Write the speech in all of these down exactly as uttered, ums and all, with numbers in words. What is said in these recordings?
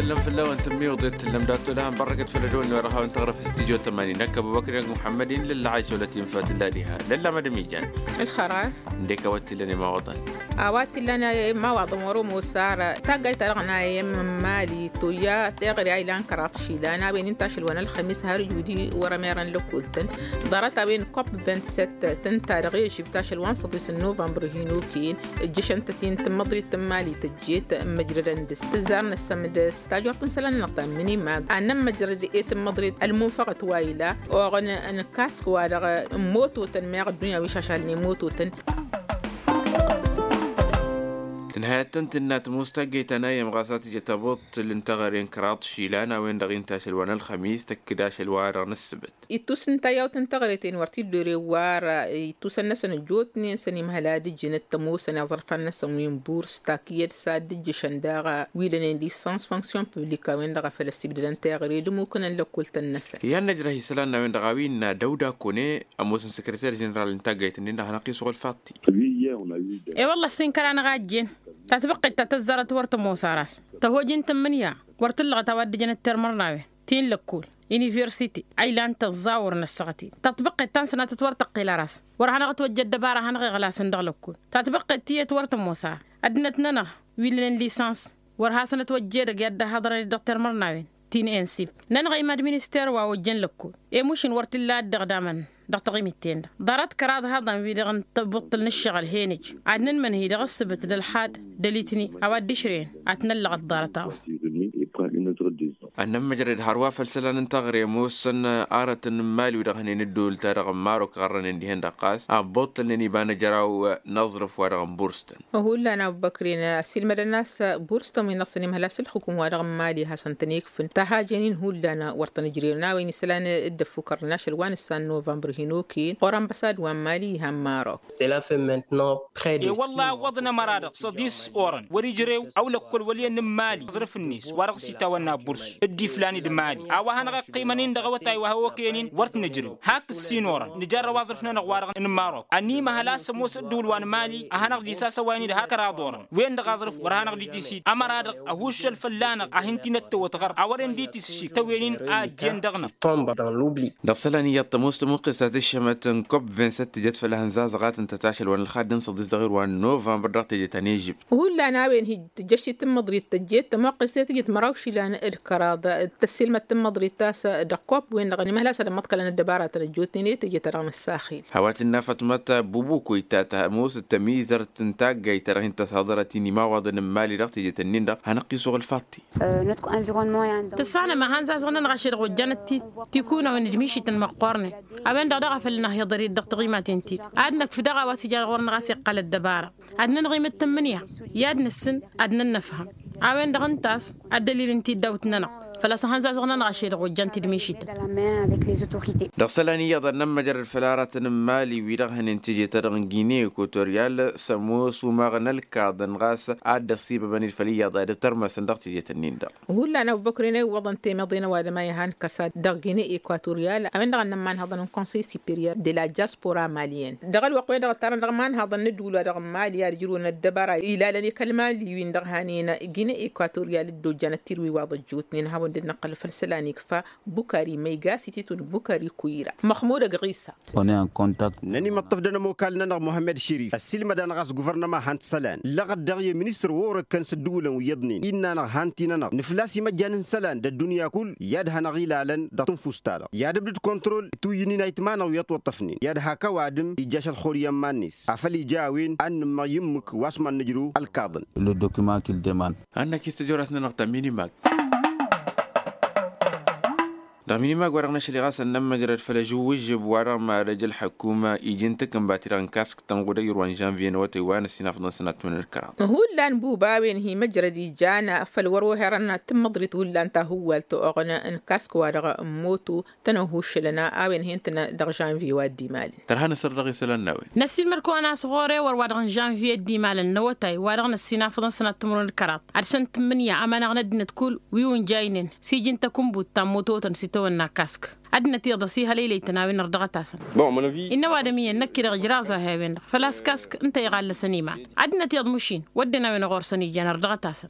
Lăm fălla-wen tǝmmiwǝḍet tǝllăm dat-tolăhăn bărrăkăt făll-ădwănni wa dăɣ-hawăn-tăɣrăf s-tijo tămani n-ăkkăbăbăkren muḥămmăd-in lăllăɣay s-olăt infa tǝlla diha lălla mădăm ijan. Ălxăras. Ǝndek a-wa t-illan imawaḍăn. A-wa t-illan imawaḍăn wăr-ămoos ara taggayt-ta-dăɣ n-a iyyăm n-imali toyya teɣăre a ilan kăraḍ išilan a-wen inta ašăl wa n-ălxămis har ǝjudi wăr-ămerăn lăkkultăn. Ḍarăt a-wen kop vint-sett tǝnta dăɣ-ežibta ašăl wa n-săḍis n-novămbăr hin-okăyăn. Ǝjjǝšăn-tăt-in tǝmmăḍrit n-imali tăjjet n-măjrădăn dăr-s tǝzzar n-ăssăm d-s tajort n-isălan-nănăɣ ta n-minimag ad-nămmăjrăd i-tǝmmăḍrit ălmunfăɣăt wa ila oɣăn n-kask-wa-dăɣ n-mototăn meɣ ăddunya wi šašalnen mototăn. Tǝnhăyăt tăn-tǝnna tămoos taggăyt ta n-ayyăm ɣas a tǝjăt abuṭṭǝl n-teɣăre n-kăraḍ išilan a-wen-dăɣ inta ašăl wa n-ălxămis tăkk-dd ašăl wa dăɣ-nǝssǝbǝt. Ittus n-tayawt n-teɣăre-ten wăr t-dd-ore war ittusăn-năsăn ăjjootnen săn imhăl ad-ǝjǝnăt tămoosăn iẓrǝfan-năsăn wi n-burs takǝyyăd s-ad-dd-ǝjjǝšăn daɣ wi lănen lisans fonksyon publik a-wen-dăɣ a făl ăssibdădăn teɣăre d-ămmukǝnăn lăkkultăn-năsăn. Iyyăn năjrăh isălan n-a-wen-dăɣ a-wa innă dăwda kone ămoosăn săkrăter ženeral n-taggayt-nin-dăɣ hanăɣ-t-isɣul faḍti. E-wălla ăssinkăr-anăɣ a ăjjeen tatbăqqet ta tăzzarăt wăr tămoos ar a-s tăhoj n-tǝmmǝnǝya wăr t-ǝllăɣăt a-wa dd-ǝjănăt termăr n-a-wen ti n-lăkkol universite a ilan tăẓẓawăr n-ăssaɣăt-in tatbăqqet ta n-sănatăt wăr tăqqel ar a-s wăr hanăɣ-ătwăjja ăddăbara a hanăɣ-iɣlasăn dăɣ-lăkkol tatbăqqet tiyyăt wăr tămoos a ăddinăt-nănăɣ wi lănen lisans wăr hasăn-ătwăjja edăgg i-ad-dd-ăhaḍărăn-dd dăɣ-termăr n-a-wen ti n-ensib nănăɣ-i mad-minister wa ojjăn lăkkol i-mušǝn wăr t-illa ad-dd-ăɣdamăn dăɣ-taɣimit-ten-dăɣ ḍarăt kăraḍ haḍăn wi-dăɣ n-tabuṭṭǝl n-ǝššăɣǝl henăj ad-nǝnmănhǝy dăɣ-ǝssǝbǝt d-ălxad d-ălitni a-wa dd-ǝšrăyăn ad-t-năllăɣăt ḍarăt-a-wa. Ad-nămmăjrăd hărwa făll-isălan n-teɣăre ămoosăn arătăn n-imali wi-dăɣ hănen ǝddǝwǝl-ta-dăɣ n-marok ɣărrănen dihen-dăɣ ɣas a ǝbbuṭṭǝlnen iba n-ăjraw n-aẓrǝf wa dăɣ-n burstăn. Hullan a-wa băkren ăssiilmădăn a-s burstăn wi n-ăṣṣăn imhăl-as ǝlxǝkǝm-wa-dăɣ n-imali hasăn-tăn-ikfǝn tahajen-in hullan wăr tăn-ǝjrerăn a-wen isălan dd-ăffukărnen ašăl wa n-ǝssan novămbăr hin-okăyăn ɣur-ănbăsad wa n-imali iha n-marok. E-wălla ǝwwăḍăn ămăra-dăɣ săḍis orăn wăr-ijrew ăwlăkkol wăl' iyyăn n-imali aẓrǝf-net wa dăɣ-s itawănna burs dd-iflan d-imali a-wa hanăɣ-iqqimăn-in dăɣ-awătay wa hawăkăyăn-in wăr t-nǝjrew hak ǝssin orăn nǝjarrăw aẓrǝf-nănăɣ wa-dăɣ n-marok ănimăhăl a-s ămoos ăddǝwǝl wa n-imali a hanăɣ-dd-isasăwayăn-dd har kăraḍ orăn wen-dăɣ aẓrǝf wăr hanăɣ-dd-itis-dd ămăra-dăɣ ăhuuššăl fălla-năɣ ad-hin-t-inăttăwăt ɣăr a wăren dd-itis šik tăwen-in a ăjjeen dăɣ-năɣ. Dăɣ-isălan iyyăḍ tămoos tămuqqest ta tǝššămăt n-kop vint-sett tǝjăt făll-ehăn zazăɣ a tǝntăt ašăl wa n-ălxadd n-săḍis dăɣ-ewăr wa n-novămbăr dăɣ-teje ta n-ežibt. Hullan a-wen hi-dd-tǝjjăš ti tǝmmăḍrit tăjjeet tămuqqest i-tǝjǝt măraw išilan d-kăraḍ tăssiilmăd tǝmmăḍrit ta s-dăɣ-kop-wen-dăɣ ănimăhlas ad-ămmăḍkălăn ăddăbara ta n-ăjjootnen i-teje ta dăɣ-năssaxil. Hawat-inna fătmăt bubuku itat ămoos d-tămizărt n-taggayt ta dăɣ-hin-tăshăḍărăt inimawaḍăn n-imali dăɣ-teje-tăn-in-dăɣ hanăɣ-t-isuɣǝl faḍt-i. Tǝssanăm a han-zazăɣ-nănăɣ ašăl dăɣ-ojjanăt-t-dd tikunăwen d-mišităn măqqoornen a-wen-dăɣ daɣ a făl năhhiḍăr-dd dăɣ-taɣimaten-t-dd ad-năkf daɣ a-wa s-ijan ɣur-năɣ a-s iqqăl ăddăbara ad-nănɣimăt tǝmmǝnǝya i-ad-nǝssǝn ad-nănnăfhăm a-wen-dăɣ ǝnta a-s ăddălil n-tiddawt-nănăɣ făl-a-s ăhăn zazăɣ-nănăɣ ašăl dăɣ-ojjan tidmišităn. Dăɣ-isălan iyyăḍ ad-nămmăjrăd făll-aratăn n-imali wi-dăɣ hănen teje-ta-dăɣ n-gine ekotoryal s-ămoos umaɣ n-ălkaḍăn ɣas ad-dd-ăṣṣibăbăn-dd făll-iyyăḍ ad-ătărmăsăn dăɣ-teje-tăn-in-dăɣ. Hullan ăbubăkren a iwwăḍăn temeḍe n-ăwadǝm a ihan kăsa dăɣ-gine ekotoryal a-wen-dăɣ ad-nămmanhăḍăn n-konsăy siperyăr de la diaspora maliyăn dăɣ-ălwăqq-wen-dăɣ ăttarăn dăɣ-imanhăḍăn n-ǝddǝwǝl wa dăɣ-n mali ad-ǝjrǝwăn ăddăbara ilalăn i-kăl-mali wi n-dăɣ hanen gine ekotoryal dd-ojjanăt tirwiwaḍ ăjjootnen ad-hawăn-dd-năqqăl făll-isălan ikfa bukari măyga s-ititun bukari kuyra măxmud ăgɣisa. Nănimăṭṭăf d-ănămokal-nănăɣ muhămmăd širif ăssiilmăd-anăɣ a-s guvărnăma han-t isălan lăɣăt daɣ i-ministăr wa orăkkăn s-ǝddǝwǝlăn wi iyyăḍnen innă-anăɣ han-t-i-nănăɣ nǝflas imăjjan n-isălan d-ăddunya kull i-ad-hanăɣ-ilalăn dăɣ-tǝnfust-ta-dăɣ i-ad-ǝbdǝd kontrol ituyǝn-in a itma-năɣ wi ătwăṭṭăfnen i-ad-hak ăwadǝm ijjaš ălxur i-ămman-net afăl ija a-wen ad-nǝmmăɣ i-ǝmmǝk wa s-mad-nǝjrǝw ălkaḍăn. Ad-năkis tăjorast-nănăɣ ta minimag. Dăɣ-minimag wa-dăɣ năšli ɣas ad-nămmăjrăd făll-ažǝwwǝžžǝb wa-dăɣ mad-ăj ălḥăkkuma iji n-takǝnbat-i-dăɣ n-kask tănɣud ăjrǝwăn žănvye n-awătay wa n-ăssinafăḍăn sănat timǝrwen d-kăraḍ. Hullan buba a-wen hi-măjrăd ija n-afăl wăr-ohărăn tǝmmăḍrit hullan ta hǝwwal tăɣnă n-kask wa-dăɣ n-moto tăn-ăhuššălăn a-wen hin-tăn dăɣ-žănvye wa dd-imalăn. Tărha n-asăr dăɣ-isălan n-a-wen. Năssiilmăd-kăwăn a-s ɣur-e wăr wa dăɣ-žănvye dd-imalăn n-awătay wa dăɣ-năssinafăḍăn sănat timǝrwen d-kăraḍ ad-săn tǝmmǝnǝya ămăneɣ n-ăddinăt kull wi unjaynen s-iji n-takǝnbut ta n-mototăn s-dd s-tăwănna kask. Ad-nătiḍăs ihălăylăy-tăn a-wen ărdăɣăt-asăn. Innă ăwadǝm iyyăn năkk-i-dăɣ ǝjraẓ-ahi a-wen-dăɣ făl-a-s kask ǝnta iɣallăsăn iman. Ad-nătiḍ mašin wădden a-wen ɣur-săn ijan ărdăɣăt-asăn.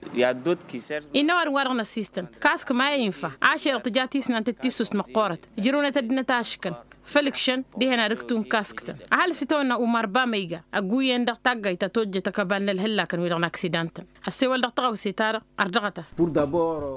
Innă ăwadǝm wa dăɣ-năssistăn kask ma i-infa ašăl tǝja tisnant d-tissust măqqoorăt. Ǝjrăwnăt ăddinăt aškăn făll-ǝkšăn dihen ad-ǝktu n-kask-tăn. Ăhalǝs itawănna umar ba ma iga ăgguyyăn dăɣ-taggayt ta tojjăt ăkăbal n-ălhǝllakăn-wi-dăɣ n-aksidan-tăn. Ăssewăl dăɣ-tăɣawse-ta-dăɣ ărdăɣăt-as.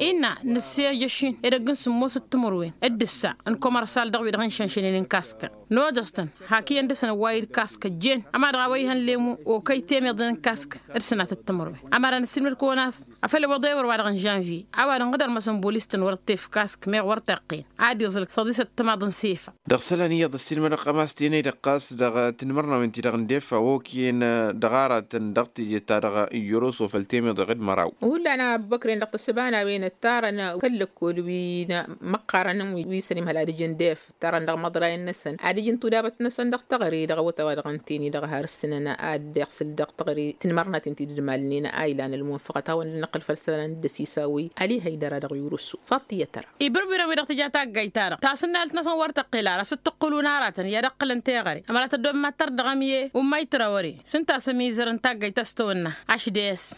Innă nǝssejăš-in edăgg n-sǝmmos d-timǝrwen d-ǝssa n-komărsal dăɣ-wi-dăɣ n-išănšănen n-kask-tăn. Nodăs-tăn hak iyyăn dăɣ-săn ăwwayǝd kask ăjjeen ămadăɣ a-wa ihăn lemu okăy temeḍen n-kask d-sănatăt timǝrwen. Ămăra năssiilmăd-kăwăn a-s afăl iwwăḍ ewăr-wa-dăɣ n-žănvye a-wa dăɣ-inɣǝdăr-măsăn bolis-tăn wăr t-efk kask meɣ wăr t-iqqen ad-iẓǝl săḍisăt timaḍ n-sefa. Dăɣ-isălan iyyăḍ ăssiilmădăɣ-kăm a-s tenăy dăɣ-ɣas dăɣ-tinmărnawen-ti-dăɣ n-defa okăyăn dăɣ-aratăn dăɣ-teje-ta-dăɣ n-yoroso făll-temeḍe d-măraw. Hullan a ăbbăkren dăɣ-tăsăbanawen ǝttarăn kăl-lăkkol wi n-măqqarăn wi s-ănimhăl ad-ǝjǝn def ǝttarăn dăɣ-imăḍrayăn-năsăn ad-ǝjǝn tudabăt-năsăn dăɣ-teɣăre dăɣ-awăt a-wa-dăɣ ǝntăyăn-i dăɣ-har ǝssǝnăn ad-iɣsǝl dăɣ-teɣăre tinmărnaten ti dd-malnen a ilan ălmunfăɣăt hawăn-dd-năqqǝl făll-isălan d-ăsisawăy. Ali hăydăra dăɣ-yurǝsu faḍt iyyăt ăra. Ibǝrbǝrăn wi-dăɣ tǝja taggayt-ta-dăɣ tasǝnnalt-năsăn wăr tăqqel ara s-dd-tǝqqǝl unăratăn i-ad-ǝqqǝlăn teɣăre ămăra tăddob mad-tărdăɣăm i-ummay trawăre s-ǝnta a-s ămizăr n-taggayt ta s-tăwănna. Ašdes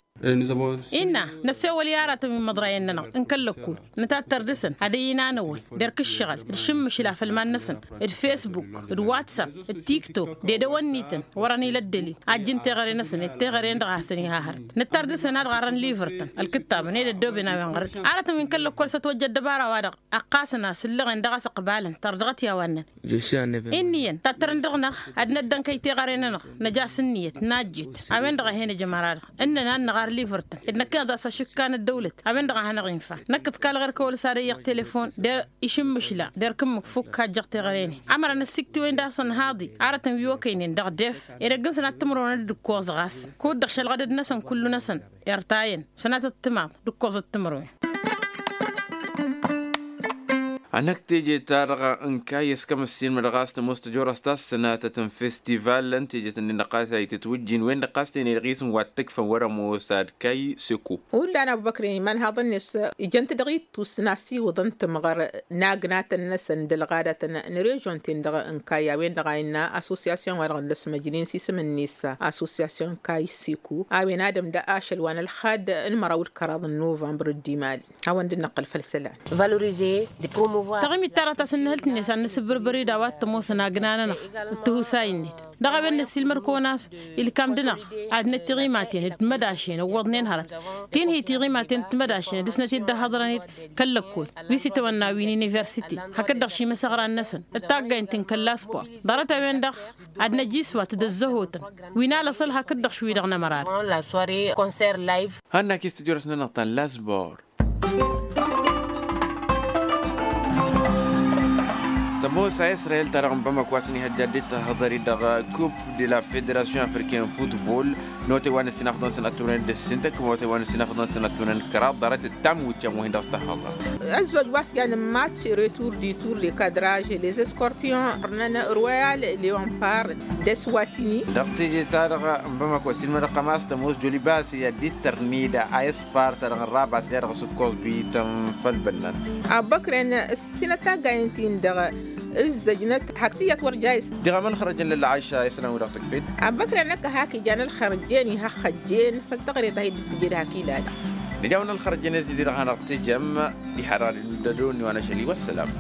innă năssewăl i-aratăn wi n-imăḍrayăn-nănăɣ n-kăl-lăkkul nǝtattăr dăɣ-săn ad-ăyy-inanăwăn derk ǝššăɣǝl d-išǝmmǝšla făll-iman-năsăn d-fesbuk d-whatsapp d-tiktok d-edăwănnităn wărăn ila ăddălil a ǝjjǝn teɣăre-năsăn d-teɣăre-nănăɣ a hasăn-iha hărăt. Nǝttar dăɣ-săn ad-ɣarrăn livăr-tăn ălkǝttabăn ed ăddooben a-wen ɣăr-dd aratăn wi n-kăl-lăkkol s-ătwăjja ăddăbara-wa-dăɣ ăqqasăn-as ǝllăɣen dăɣ-a-s ǝqbalăn tărdăɣăt i-a-wa ǝnnăn. Inn'-iyyăn tattărăn dăɣ-năɣ ad-năddănkăy teɣăre-nănăɣ năj'-as ǝnniyăt najjet a-wen-dăɣ a hen-ăj ămăra-dăɣ ǝnnăn ad-năɣar livăr-tăn d-năkkăneḍ a-s ašǝkka n-ăddăwlăt a-wen-dăɣ a hanăɣ-infa. Năkk ǝḍkal ɣur-kăwăl s-ad-ăyyăɣ telefon der-išǝmmǝšla der-kǝmmǝk fukk hajjăɣ teɣăre-net. Ămăra năssiktǝwen dăɣ-săn haḍi aratăn wi okăynen dăɣ-def edăgg-năsăn ad-t-ǝmrăwăn d-ǝkkoẓ ɣas kud-dăɣ šălɣădăd-năsăn kullu-năsăn. Irtayăn sănatăt timaḍ d-ǝkkoẓăt timǝrwen. Anăk teje-ta-dăɣ n-kayy ăskăm ăssiilmădăɣ a-s tămoos tăjorăst ta s-sănatăt n-festival n-teje-tăn-in-dăɣ ɣas a itǝtwǝjjin wen-dăɣ ɣas tene-dăɣ isǝm wa t-tǝkfăn wăr-ămoos ad-kayy seko. Hullan a ăbubăkr iman haḍăn-net ijăn-t dăɣ-ittus n-asiwǝḍ n-timɣăr n-agnatăn-năsăn d-ălɣadatăn n-režon-ten-dăɣ n-kayy a-wen-dăɣ a innă asosiyasyon-wa-dăɣ n-dăr-s măjnen s-isǝm-net asosiyasyon kayy seko a-wen adăm d-ašăl wa n-ălxad n-măraw d-kăraḍ n-novămbăr d-imali. Hawăn-dd-năqqăl făll-isălan. Taɣimit ta dăɣ-tasǝnnǝhǝlt-net ad-nǝsǝbbărbăr-dd a-wa t-ămoosăn agna-nănăɣ d-tihusay-net dăɣ-a-wen năssiilmăd-kăwăn a-s ilkam-dăɣ-năɣ ad-năt tiɣimaten d-timădašen ǝwwăḍnen hărăt. Tinhi tiɣimaten d-timădašen dăɣ-snăt-dd-ăhhăḍrăn-dd kăl-lăkkol wi s-itawănna wi n-universite hakd-dăɣ šimăsăɣran-năsăn d-taggaynt n-kăl-laspor. Ḍarăt-a-wen-dăɣ ad-năj iswat d-ăzzăhotăn wi n-alăṣăl hakd-dăɣ šwi-dăɣ n-ămăra-dăɣ. Hannăk-i s-tijorăt-nănăɣ ta n-lasbor. Tămoos a israyel-ta-dăɣ n-bamăko a-s ănihăjja dd-tahăḍări dăɣ-coupe de la federasyon africaine n-futbol. N-otay wa n-ăssinafăḍăn sănattunen d-ǝssin tăkk n-otay wa n-ăssinafăḍăn sănattunen kăraḍ ḍarăt d-tamwit yan wa hin-dăɣ s-tahăḍăr. Ăzzoj wa s-jan n-match retur di tour de cadrage les escorpion ărnăn royal leonpar d-eswatini. Dăɣ-teje-ta-dăɣ n-bamăko ăssinmădăɣ ămas tămoos jolibase i-ad-dd-ittăr nida a isfar-ta-dăɣ n-rabat i-ad-dăɣ-s ǝkkoẓ bităn făll-bănnan. Abbăkren ǝssinăt taggayen-tin-dăɣ ǝzzăjnăt hak tiyyăt wăr jayǝs. Diɣ-amăn xărăjăn lălla aisha isălan wi-dăɣ tǝkfed. Abbăkren năkk hak ijan ălxărjen ihăxxăjjen făll-tăɣre ta hi-dd-tǝjed hak ilalăn. Nǝja-wăn ălxărjen ăzzi-dăɣ a hanăɣ-tǝjăm. Diha-dăɣ ad-dd-nudădon i-wa n-ašăl-i wăssălam.